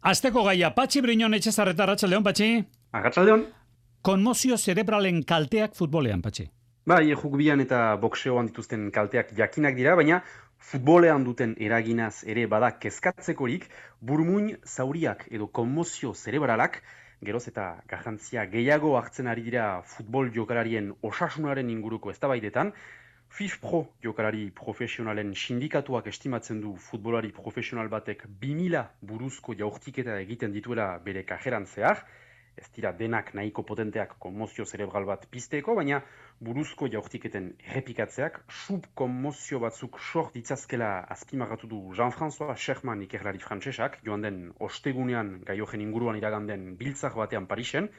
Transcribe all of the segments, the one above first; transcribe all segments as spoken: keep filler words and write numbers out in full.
Azteko gaia, Patxi Briñon Etxezarreta, arratsaldeon, Patxi. Arratsaldeon. Konmozio zerebralen kalteak futbolean, Patxi. Bai, rugbian eta boxeoan dituzten kalteak jakinak dira, baina futbolean duten eraginaz ere bada kezkatzekorik, burmuin zauriak edo konmozio zerebralak geroz eta garrantzia gehiago hartzen ari dira futbol jokalarien osasunaren inguruko eztabaidetan. FIFPro jokalari profesionalen sindikatuak estimatzen du futbolari profesional batek bi mila buruzko jaurtiketa egiten dituela bere kajeran zehar. Ez dira denak nahiko potenteak konmozio zerebral bat pizteko, baina buruzko jaurtiketen errepikatzeak subkonmozio batzuk sort ditzazkela azpimarratu du Jean-François Sherman ikerlari frantsesak, joan den ostegunean gaiojen inguruan iraganden biltzar batean Parisen.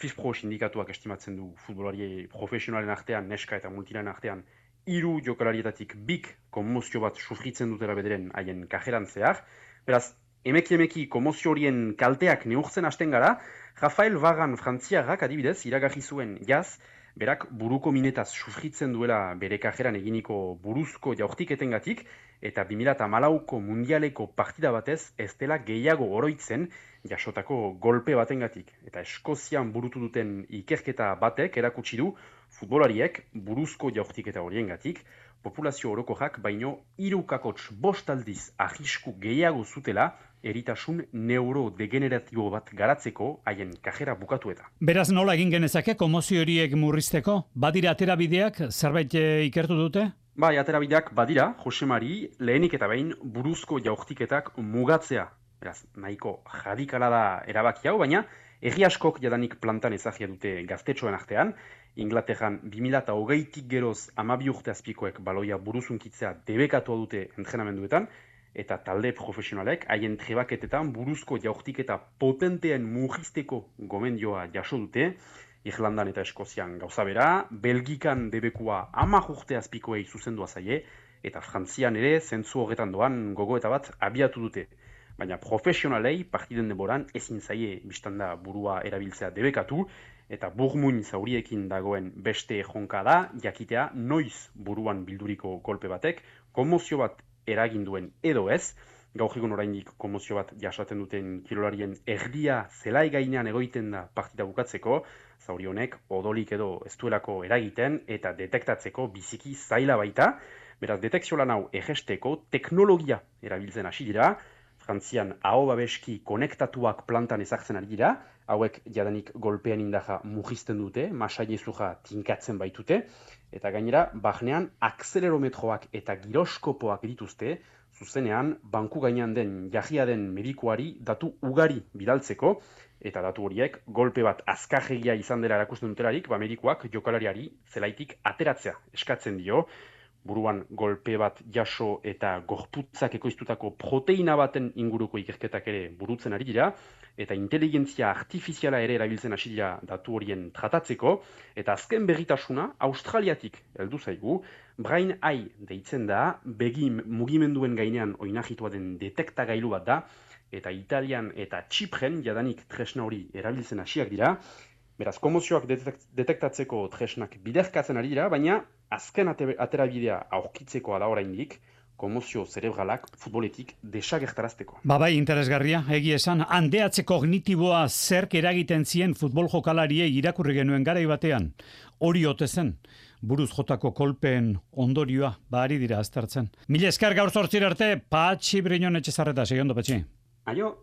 FIFPro sindikatuak estimatzen du futbolari profesionalen artean, neska eta multilan artean, hiru jokalarietatik bik konmozio bat sufritzen dutela bederen haien kajeran zehar. Beraz, emeki emeki konmozio horien kalteak neurtzen hasten gara, Rafael Varane frantziarrak adibidez iragarri zuen jaz, berak buruko minetaz sufritzen duela bere kajeran eginiko buruzko jaurtiketengatik, eta bi mila hamalauko mundialeko partida batez ez dela gehiago oroitzen jasotako golpe batengatik. Eta Eskozian burutu duten ikerketa batek erakutsi du futbolariek buruzko jaurtiketa horiengatik populazio orokorrak baino hiru kakots bost aldiz arrisku gehiago zutela eritasun neurodegeneratibo bat garatzeko haien kajera bukatu eta. Beraz nola egin genezake konmozio horiek murrizteko? Badira aterabideak zerbait ikertu dute? Bai, aterabideak badira, Josemari, lehenik eta behin buruzko jaurtiketak mugatzea. Beraz, nahiko radikala da erabaki hau, baina herri askok jadanik plantan ezagia dute gaztetxoen artean. Inglaterran bi mila hogeitik geroz hamabi urte azpikoek baloia buruzunkitzea debekatua dute entrenamenduetan, eta talde profesionalek haien trebaketetan buruzko jaurtiketa potenteen murrizteko gomendioa jaso dute. Irlandan eta Eskozian gauza bera, Belgikan debekua hamar urte azpikoei zuzendua zaie, eta Frantzian ere zentzu horretan doan gogoeta bat abiatu dute. Baina profesionalei partiden denboran ezin zaie biztanda burua erabiltzea debekatu, eta burmuin zauriekin dagoen beste jonka da, jakitea noiz buruan bilduriko kolpe batek, konmozio bat eragin duen edo ez. Gaur egun oraindik konmozio bat jasaten duten kirolarien erdia zelai gainean egoiten da partida bukatzeko, zauri honek odolik edo ez duelako eragiten eta detektatzeko biziki zaila baita. Beraz, detekzio lan hau erresteko teknologia erabiltzen hasi dira. Frantzian aho babeski konektatuak plantan ezartzen ari dira, hauek jadanik golpean indaja mugizten dute, masailezuja tinkatzen baitute, eta gainera, barnean akselerometroak eta giroskopoak dituzte, zuzenean, banku gainean den jahia den medikuari datu ugari bidaltzeko, eta datu horiek golpe bat azkarregia izan dela erakusten dutelarik, ba medikuak jokalariari zelaitik ateratzea eskatzen dio. Buruan golpe bat jaso eta gorputzak ekoiztutako proteina baten inguruko ikerketak ere burutzen ari dira, eta inteligentzia artifiziala ere erabiltzen hasi dira datu horien tratatzeko, eta azken berritasuna Australiatik heldu zaigu, Brain Eye deitzen da, begi mugimenduen gainean oinahitua den detektagailu bat da, eta Italian eta Txipren jadanik tresna hori erabiltzen hasiak dira. Beraz, konmozioak detektatzeko tresnak biderkatzen ari dira, baina azken aterabidea aurkitzekoa da oraindik, konmozio zerebralak futboletik desagertarazteko. Ba bai, interesgarria, egi esan, handeatze kognitiboa zerk eragiten zien futbol jokalariei irakurri genuen garai batean. Hori ote zen, buruz jotako kolpeen ondorioa, ba ari dira aztertzen. Mila esker gaur zortzir arte, Patxi Briñon Etxezarreta, segiondo, Patxi. Aio.